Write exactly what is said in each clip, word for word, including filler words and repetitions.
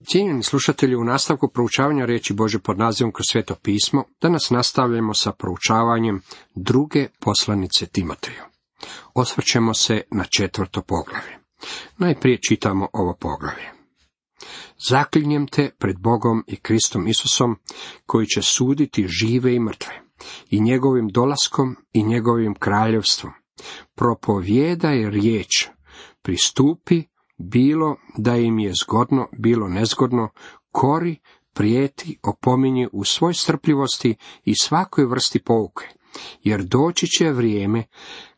Cijenjeni slušatelji, u nastavku proučavanja riječi Božje pod nazivom Kroz sveto pismo, danas nastavljamo sa proučavanjem druge poslanice Timoteju. Osvrćemo se na četvrto poglavlje. Najprije čitamo ovo poglavlje. Zaklinjem te pred Bogom i Kristom Isusom, koji će suditi žive i mrtve, i njegovim dolaskom i njegovim kraljevstvom. Propovijedaj riječ, pristupi, bilo da im je zgodno, bilo nezgodno, kori, prijeti, opominji u svoj strpljivosti i svakoj vrsti pouke, jer doći će vrijeme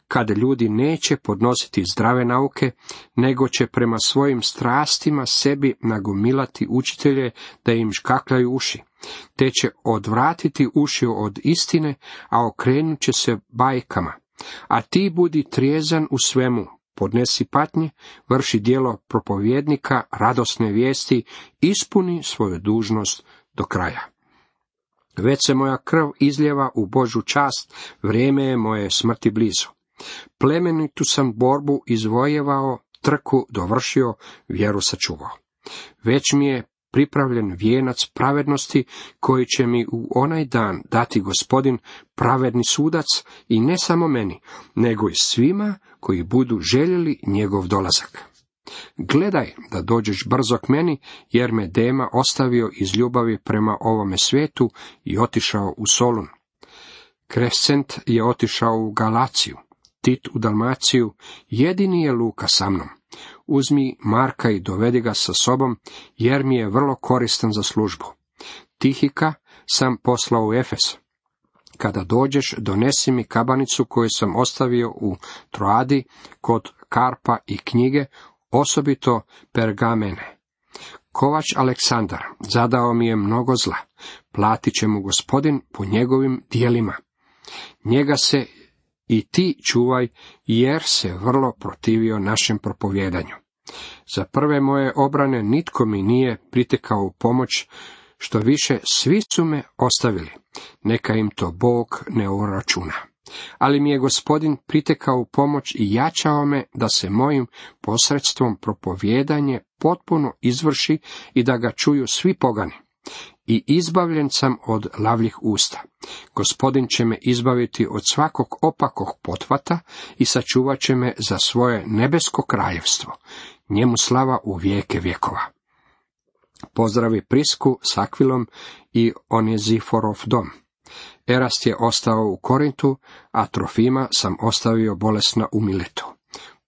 kada ljudi neće podnositi zdrave nauke, nego će prema svojim strastima sebi nagomilati učitelje da im škakljaju uši, te će odvratiti uši od istine, a okrenut će se bajkama. A ti budi trijezan u svemu, podnesi patnje, vrši djelo propovjednika, radosne vijesti, ispuni svoju dužnost do kraja. Već se moja krv izljeva u Božju čast, vrijeme je moje smrti blizu. Plemenitu sam borbu izvojevao, trku dovršio, vjeru sačuvao. Već mi je pripravljen vijenac pravednosti, koji će mi u onaj dan dati Gospodin, pravedni sudac, i ne samo meni, nego i svima koji budu željeli njegov dolazak. Gledaj da dođeš brzo k meni, jer me Dema ostavio iz ljubavi prema ovome svijetu i otišao u Solun. Krescent je otišao u Galaciju, Tit u Dalmaciju, jedini je Luka sa mnom. Uzmi Marka i dovedi ga sa sobom, jer mi je vrlo koristan za službu. Tihika sam poslao u Efes. Kada dođeš, donesi mi kabanicu koju sam ostavio u Troadi kod Karpa i knjige, osobito pergamene. Kovač Aleksandar zadao mi je mnogo zla, platit će mu Gospodin po njegovim dijelima. Njega se i ti čuvaj, jer se vrlo protivio našem propovjedanju. Za prve moje obrane nitko mi nije pritekao u pomoć, što više svi su me ostavili, neka im to Bog ne uračuna. Ali mi je Gospodin pritekao u pomoć i jačao me da se mojim posredstvom propovjedanje potpuno izvrši i da ga čuju svi pogani. I izbavljen sam od lavljih usta. Gospodin će me izbaviti od svakog opakog pothvata i sačuvat će me za svoje nebesko kraljevstvo. Njemu slava u vijeke vjekova. Pozdravi Prisku s Akvilom i Oneziforov dom. Erast je ostao u Korintu, a Trofima sam ostavio bolesna u Miletu.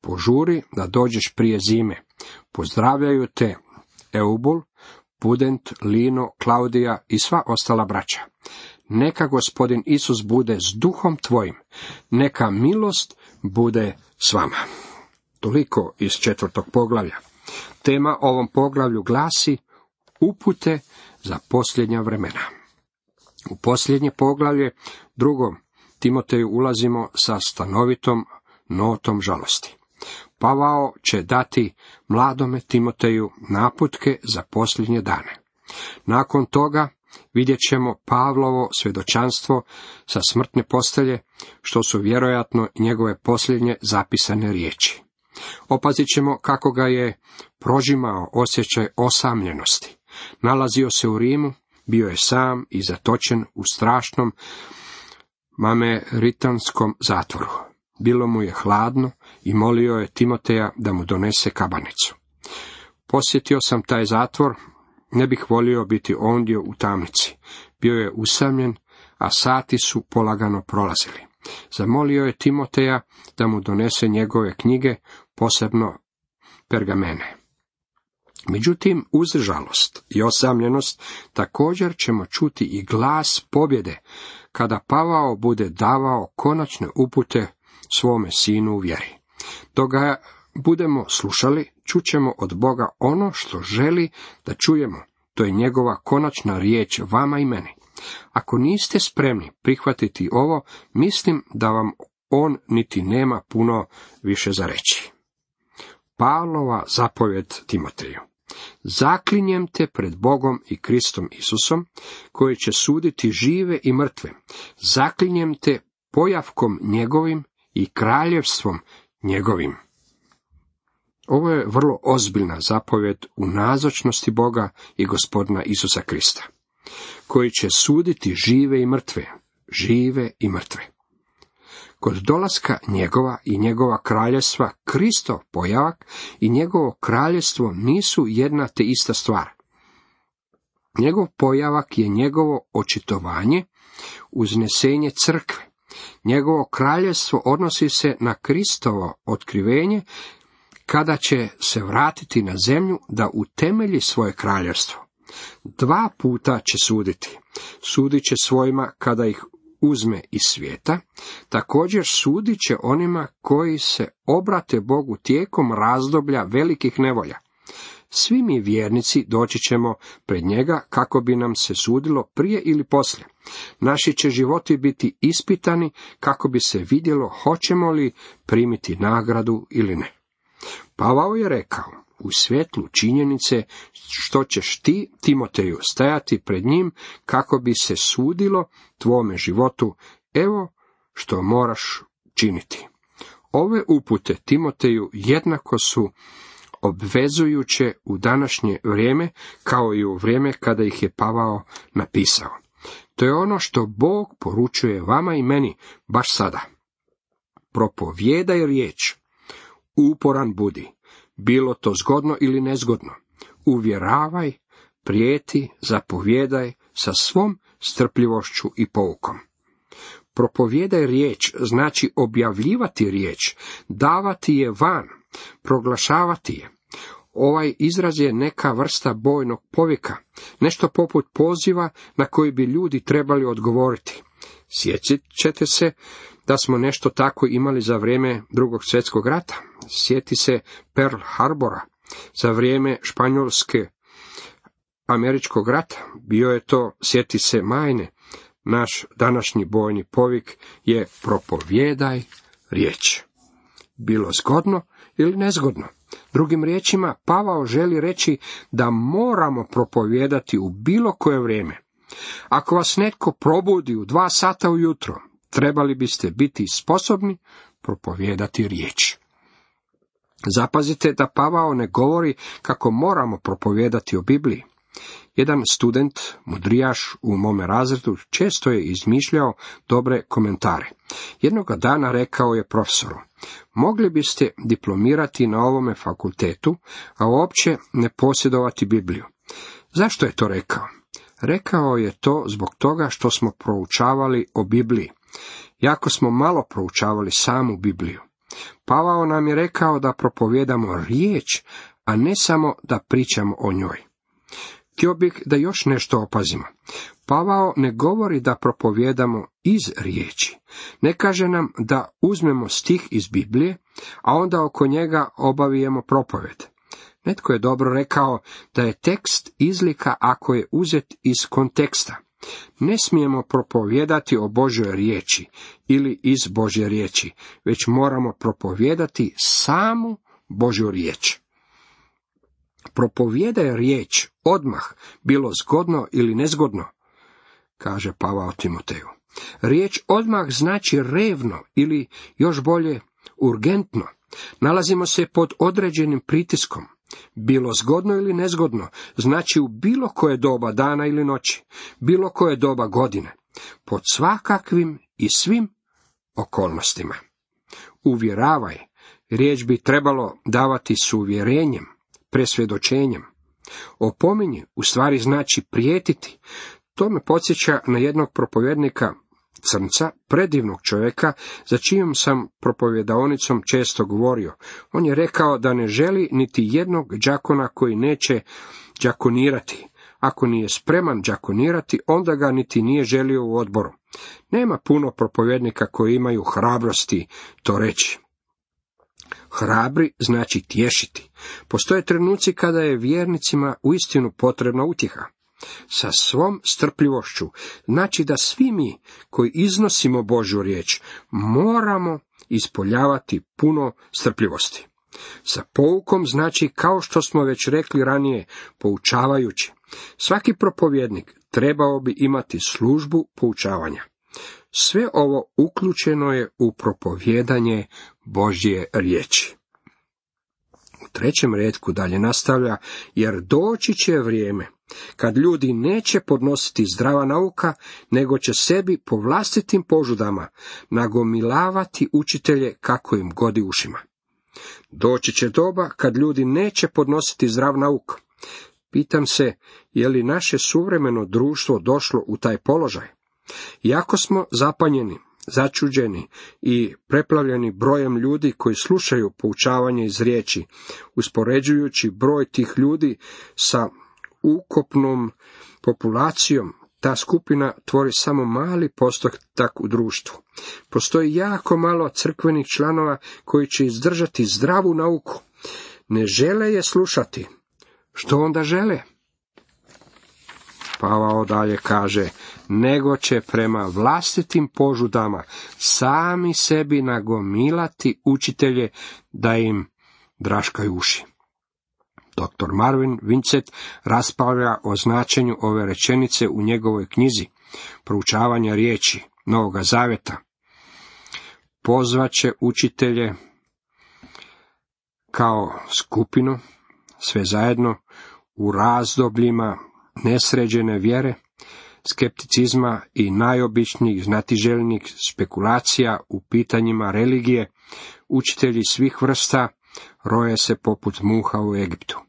Požuri da dođeš prije zime. Pozdravljaju te Eubul, Pudent, Lino, Klaudija i sva ostala braća. Neka Gospodin Isus bude s duhom tvojim, neka milost bude s vama. Toliko iz četvrtog poglavlja. Tema ovom poglavlju glasi upute za posljednja vremena. U posljednje poglavlje, drugom Timoteju, ulazimo sa stanovitom notom žalosti. Pavao će dati mladome Timoteju naputke za posljednje dane. Nakon toga vidjet ćemo Pavlovo svjedočanstvo sa smrtne postelje, što su vjerojatno njegove posljednje zapisane riječi. Opazit ćemo kako ga je prožimao osjećaj osamljenosti. Nalazio se u Rimu, bio je sam i zatočen u strašnom mameritanskom zatvoru. Bilo mu je hladno i molio je Timoteja da mu donese kabanicu. Posjetio sam taj zatvor, ne bih volio biti ondje u tamnici. Bio je usamljen, a sati su polagano prolazili. Zamolio je Timoteja da mu donese njegove knjige, posebno pergamene. Međutim, uz žalost i osamljenost također ćemo čuti i glas pobjede, kada Pavao bude davao konačne upute svome sinu u vjeri. Dok ga budemo slušali, čućemo od Boga ono što želi da čujemo. To je njegova konačna riječ vama i meni. Ako niste spremni prihvatiti ovo, mislim da vam on niti nema puno više za reći. Pavlova zapovjed Timoteju. Zaklinjem te pred Bogom i Kristom Isusom, koji će suditi žive i mrtve. Zaklinjem te pojavkom njegovim i kraljevstvom njegovim. Ovo je vrlo ozbiljna zapovjed u nazočnosti Boga i Gospodina Isusa Krista, koji će suditi žive i mrtve, žive i mrtve. Kod dolaska njegova i njegova kraljevstva, Kristov pojavak i njegovo kraljevstvo nisu jedna te ista stvar. Njegov pojavak je njegovo očitovanje, uznesenje crkve. Njegovo kraljevstvo odnosi se na Kristovo otkrivenje, kada će se vratiti na zemlju da utemelji svoje kraljevstvo. Dva puta će suditi. Sudit će svojima kada ih uzme iz svijeta, također sudit će onima koji se obrate Bogu tijekom razdoblja velikih nevolja. Svi mi vjernici doći ćemo pred njega kako bi nam se sudilo prije ili poslije. Naši će životi biti ispitani kako bi se vidjelo hoćemo li primiti nagradu ili ne. Pavao je rekao, u svjetlu činjenice što ćeš ti, Timoteju, stajati pred njim kako bi se sudilo tvome životu, evo što moraš činiti. Ove upute Timoteju jednako su obvezujuće u današnje vrijeme, kao i u vrijeme kada ih je Pavao napisao. To je ono što Bog poručuje vama i meni baš sada. Propovijedaj riječ, uporan budi, bilo to zgodno ili nezgodno. Uvjeravaj, prijeti, zapovjedaj sa svom strpljivošću i poukom. Propovijedaj riječ znači objavljivati riječ, davati je van, proglašavati je. Ovaj izraz je neka vrsta bojnog povika, nešto poput poziva na koji bi ljudi trebali odgovoriti. Sjećat ćete se da smo nešto tako imali za vrijeme Drugog svjetskog rata. Sjeti se Pearl Harbora, za vrijeme Španjolske američkog rata. Bio je to, sjeti se Majne. Naš današnji bojni povik je propovijedaj riječ. Bilo zgodno ili nezgodno. Drugim riječima, Pavao želi reći da moramo propovijedati u bilo koje vrijeme. Ako vas netko probudi u dva sata ujutro, trebali biste biti sposobni propovijedati riječ. Zapazite da Pavao ne govori kako moramo propovijedati o Bibliji. Jedan student, mudrijaš u mome razredu, često je izmišljao dobre komentare. Jednoga dana rekao je profesoru, mogli biste diplomirati na ovome fakultetu, a uopće ne posjedovati Bibliju. Zašto je to rekao? Rekao je to zbog toga što smo proučavali o Bibliji. Jako smo malo proučavali samu Bibliju. Pavao nam je rekao da propovijedamo riječ, a ne samo da pričamo o njoj. Htio bih da još nešto opazimo. Pavao ne govori da propovijedamo iz riječi. Ne kaže nam da uzmemo stih iz Biblije, a onda oko njega obavijemo propovijed. Netko je dobro rekao da je tekst izlika ako je uzet iz konteksta. Ne smijemo propovijedati o Božjoj riječi ili iz Božje riječi, već moramo propovijedati samu Božju riječ. Propovijedaj riječ odmah, bilo zgodno ili nezgodno, kaže Pavao Timoteju. Riječ odmah znači revno ili još bolje urgentno. Nalazimo se pod određenim pritiskom. Bilo zgodno ili nezgodno znači u bilo koje doba dana ili noći, bilo koje doba godine, pod svakakvim i svim okolnostima. Uvjeravaj, riječ bi trebalo davati s uvjerenjem, presvjedočenjem. Opominji u stvari znači prijetiti. To me podsjeća na jednog propovjednika Crnca, predivnog čovjeka, za čijom sam propovjedaonicom često govorio. On je rekao da ne želi niti jednog đakona koji neće đakonirati. Ako nije spreman đakonirati, onda ga niti nije želio u odboru. Nema puno propovjednika koji imaju hrabrosti to reći. Hrabri znači tješiti. Postoje trenuci kada je vjernicima uistinu potrebna utjeha. Sa svom strpljivošću znači da svi mi koji iznosimo Božju riječ moramo ispoljavati puno strpljivosti. Sa poukom znači, kao što smo već rekli ranije, poučavajući. Svaki propovjednik trebao bi imati službu poučavanja. Sve ovo uključeno je u propovijedanje Božje riječi. U trećem retku dalje nastavlja, jer doći će vrijeme kad ljudi neće podnositi zdrava nauka, nego će sebi po vlastitim požudama nagomilavati učitelje kako im godi ušima. Doći će doba kad ljudi neće podnositi zdrav nauk. Pitam se, je li naše suvremeno društvo došlo u taj položaj? Iako smo zapanjeni, začuđeni i preplavljeni brojem ljudi koji slušaju poučavanje iz riječi, uspoređujući broj tih ljudi sa ukupnom populacijom, ta skupina tvori samo mali postotak u društvu. Postoji jako malo crkvenih članova koji će izdržati zdravu nauku. Ne žele je slušati. Što onda žele? Pavao dalje kaže, nego će prema vlastitim požudama sami sebi nagomilati učitelje da im draškaju uši. doktor Marvin Vincent raspravlja o značenju ove rečenice u njegovoj knjizi Proučavanje riječi Novoga Zavjeta. Pozvaće učitelje kao skupinu, sve zajedno, u razdobljima nesređene vjere, skepticizma i najobičnijih znatiželjnih spekulacija u pitanjima religije, učitelji svih vrsta roje se poput muha u Egiptu.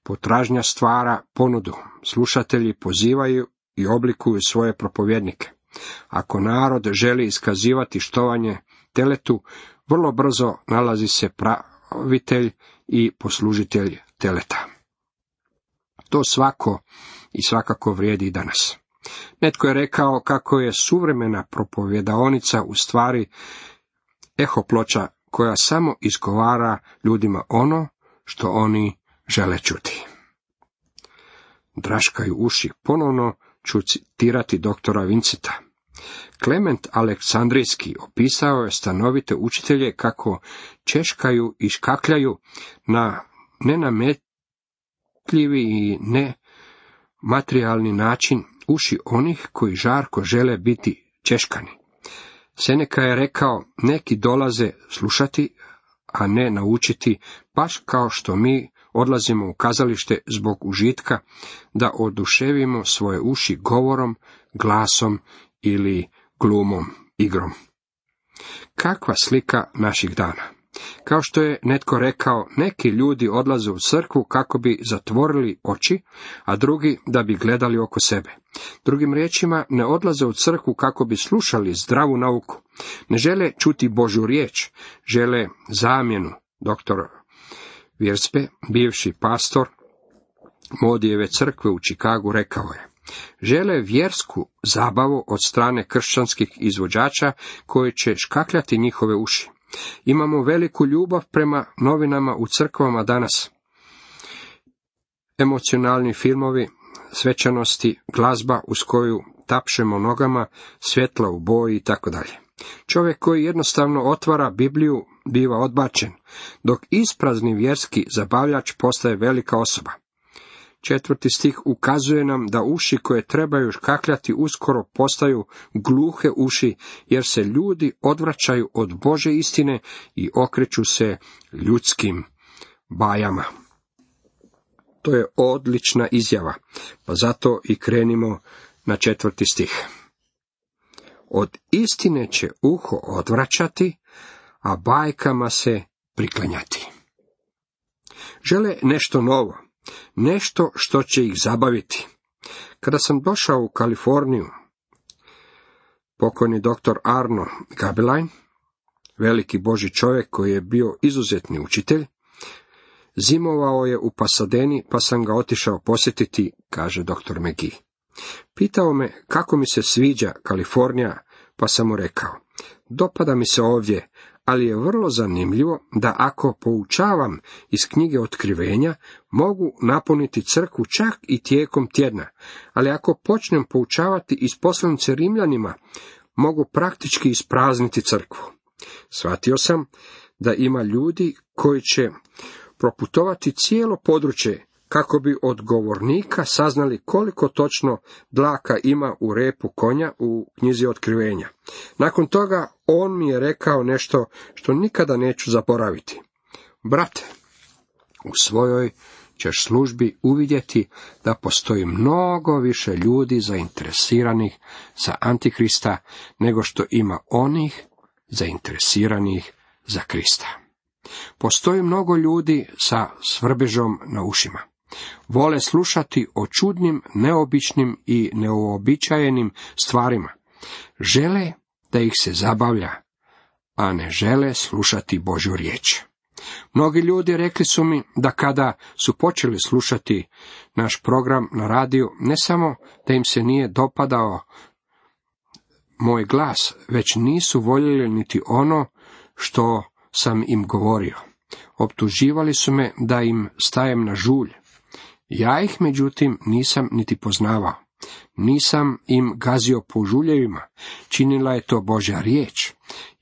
Potražnja stvara ponudu, slušatelji pozivaju i oblikuju svoje propovjednike. Ako narod želi iskazivati štovanje teletu, vrlo brzo nalazi se pravitelj i poslužitelj teleta. To svako i svakako vrijedi i danas. Netko je rekao kako je suvremena propovjedaonica u stvari ehoploča koja samo izgovara ljudima ono što oni žele čuti. Draškaju uši. Ponovno ću citirati doktora Vincenta. Klement Aleksandrijski opisao je stanovite učitelje kako češkaju i škakljaju na nenametljivi i nematerijalni način uši onih koji žarko žele biti češkani. Seneka je rekao, neki dolaze slušati, a ne naučiti, baš kao što mi odlazimo u kazalište zbog užitka, da oduševimo svoje uši govorom, glasom ili glumom, igrom. Kakva slika naših dana? Kao što je netko rekao, neki ljudi odlaze u crkvu kako bi zatvorili oči, a drugi da bi gledali oko sebe. Drugim riječima, ne odlaze u crkvu kako bi slušali zdravu nauku. Ne žele čuti Božju riječ, žele zamjenu. Doktor Virspe, bivši pastor Modijeve crkve u Čikagu, rekao je, žele vjersku zabavu od strane kršćanskih izvođača koji će škakljati njihove uši. Imamo veliku ljubav prema novinama u crkvama danas. Emocionalni filmovi, svečanosti, glazba uz koju tapšemo nogama, svjetla u boji i tako dalje. Čovjek koji jednostavno otvara Bibliju biva odbačen, dok isprazni vjerski zabavljač postaje velika osoba. Četvrti stih ukazuje nam da uši koje trebaju škakljati uskoro postaju gluhe uši, jer se ljudi odvraćaju od Božje istine i okreću se ljudskim bajama. To je odlična izjava, pa zato i krenimo na četvrti stih. Od istine će uho odvraćati, a bajkama se priklanjati. Žele nešto novo, nešto što će ih zabaviti. Kada sam došao u Kaliforniju, pokojni doktor Arno Gabelein, veliki Božji čovjek koji je bio izuzetni učitelj, zimovao je u Pasadeni, pa sam ga otišao posjetiti, kaže doktor McGee. Pitao me kako mi se sviđa Kalifornija, pa sam mu rekao, dopada mi se ovdje, ali je vrlo zanimljivo da ako poučavam iz knjige Otkrivenja, mogu napuniti crkvu čak i tijekom tjedna, ali ako počnem poučavati iz poslanice Rimljanima, mogu praktički isprazniti crkvu. Shvatio sam da ima ljudi koji će proputovati cijelo područje kako bi od govornika saznali koliko točno dlaka ima u repu konja u knjizi Otkrivenja. Nakon toga on mi je rekao nešto što nikada neću zaboraviti. Brate, U svojoj ćeš službi uvidjeti da postoji mnogo više ljudi zainteresiranih za Antikrista nego što ima onih zainteresiranih za Krista. Postoji mnogo ljudi sa svrbežom na ušima. Vole slušati o čudnim, neobičnim i neuobičajenim stvarima. Žele da ih se zabavlja, a ne žele slušati Božju riječ. Mnogi ljudi rekli su mi da kada su počeli slušati naš program na radiju, ne samo da im se nije dopadao moj glas, već nisu voljeli niti ono što sam im govorio. Optuživali su me da im stajem na žulj. Ja ih međutim nisam niti poznavao. Nisam im gazio po žuljevima, činila je to Božja riječ.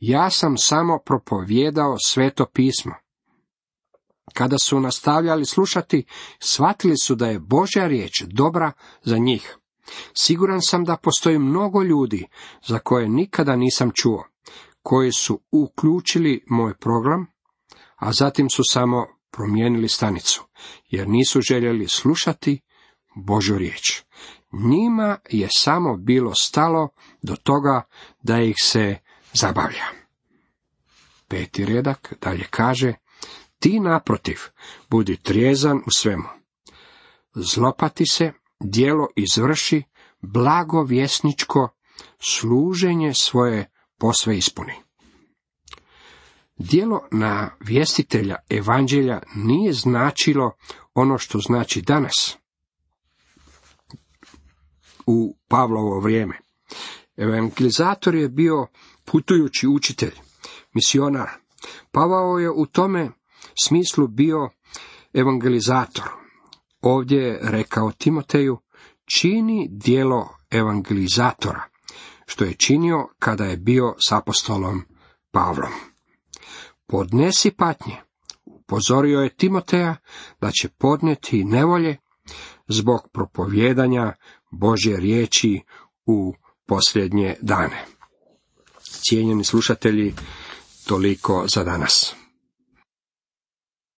Ja sam samo propovijedao Sveto pismo. Kada su nastavljali slušati, shvatili su da je Božja riječ dobra za njih. Siguran sam da postoji mnogo ljudi za koje nikada nisam čuo, koji su uključili moj program, a zatim su samo promijenili stanicu, jer nisu željeli slušati Božju riječ. Njima je samo bilo stalo do toga da ih se zabavlja. Peti redak dalje kaže: ti naprotiv, budi trijezan u svemu. Zlopati se, djelo izvrši, blagovjesničko služenje svoje posve ispuni. Djelo na vjestitelja evanđelja nije značilo ono što znači danas u Pavlovo vrijeme. Evangelizator je bio putujući učitelj, misionar. Pavao je u tome smislu bio evangelizator. Ovdje je rekao Timoteju: čini djelo evangelizatora, što je činio kada je bio s apostolom Pavlom. Podnesi patnje. Upozorio je Timoteja da će podnijeti nevolje zbog propovijedanja Božje riječi u posljednje dane. Cijenjeni slušatelji, toliko za danas.